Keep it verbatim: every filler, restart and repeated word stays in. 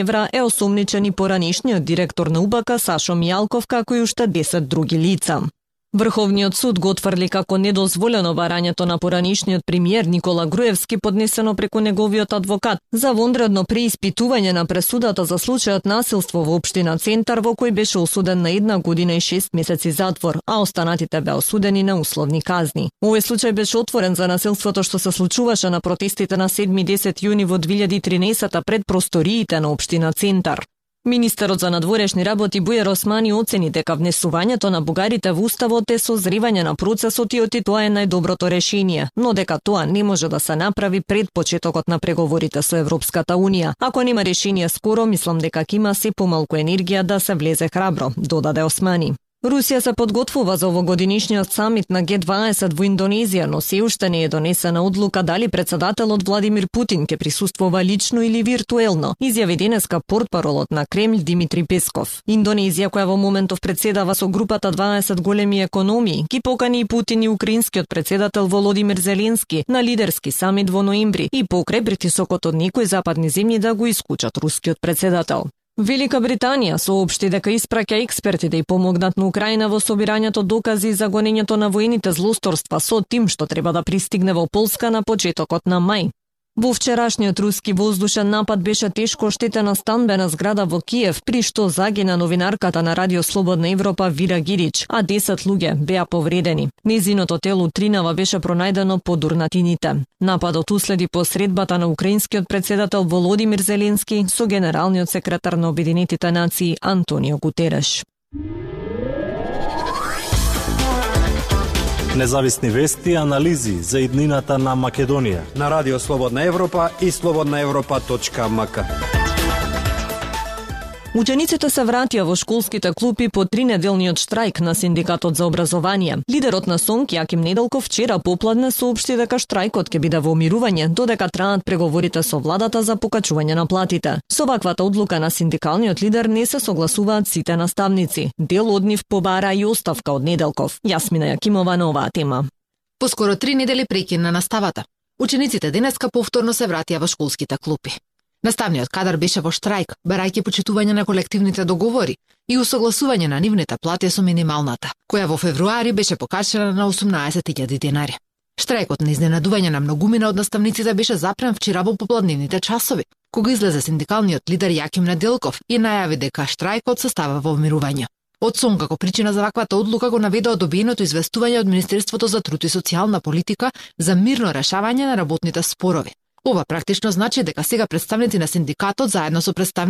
евра е осомничен и поранешниот директор на УБК Сашо Мијалков, како и уште десет други лица. Врховниот суд го отфрли како недозволено барањето на поранешниот премиер Никола Груевски, поднесено преку неговиот адвокат, за вонредно преиспитување на пресудата за случајот насилство во општина Центар, во кој беше осуден на една година и шест месеци затвор, а останатите беа осудени на условни казни. Овој случај беше отворен за насилството што се случуваше на протестите на седми и десети јуни во две илјади и тринаесета пред просториите на општина Центар. Министерот за надворешни работи Бујар Османи оцени дека внесувањето на бугарите во уставот е созревање на процесот и оти тоа е најдоброто решение, но дека тоа не може да се направи пред почетокот на преговорите со Европската Унија. Ако нема решение скоро, мислам дека ќе има се помалку енергија да се влезе храбро, додаде Османи. Русија се подготвува за овогодинишниот самит на Г дваесет во Индонезија, но се уште не е донесена одлука дали председателот Владимир Путин ќе присуствува лично или виртуелно, изјави денеска портпаролот на Кремљ Димитри Песков. Индонезија, која во моментов председава со групата дваесет големи економии, ги покани и Путин и украинскиот председател Володимир Зеленски на лидерски самит во ноември и покрај притисокот од некои западни земји да го исклучат рускиот председател. Велика Британија соопшти дека испраќа експерти да ја помогнат на Украина во собирањето докази за гонењето на воените злосторства со тим што треба да пристигне во Полска на почетокот на мај. Во вчерашниот руски воздушен напад беше тешко оштетена станбена зграда во Киев, при што загина новинарката на Радио Слободна Европа Вира Гирич, а десет луѓе беа повредени. Незиното тело утринава беше пронајдено под урнатините. Нападот уследи по средбата на украинскиот председател Володимир Зеленски со генералниот секретар на Обединетите нации Антонио Гутереш. Независни вести и анализи за иднината на Македонија на Радио Слободна Европа и слободна европа точка ем ка. Учениците се вратија во школските клупи по тринеделниот штрајк на Синдикатот за образование. Лидерот на СОНК Јаким Неделков вчера попладне соопшти дека штрајкот ќе биде во умирување додека траат преговорите со владата за покачување на платите. Со ваквата одлука на синдикалниот лидер не се согласуваат сите наставници. Дел од нив побара и оставка од Неделков. Јасмина Јакимова на оваа тема. Поскоро три недели прекин на наставата. Учениците денеска повторно се вратија во школските клупи. Наставниот кадар беше во штрајк, барајќи почитување на колективните договори и усогласување на нивните плати со минималната, која во февруари беше покачена на осумнаесет илјади денари. Штрајкот на изненадување на многумина од наставниците беше запрен вчера во попладневните часови, кога излезе синдикалниот лидер Јаким Неделков и најави дека штрајкот се става во умирување. Од СОНК како причина за ваквата одлука го наведоа добиеното известување од Министерството за труд и социјална политика за мирно решавање на работните спорови. Ова практично значи дека сега представници на синдикатот заедно со представници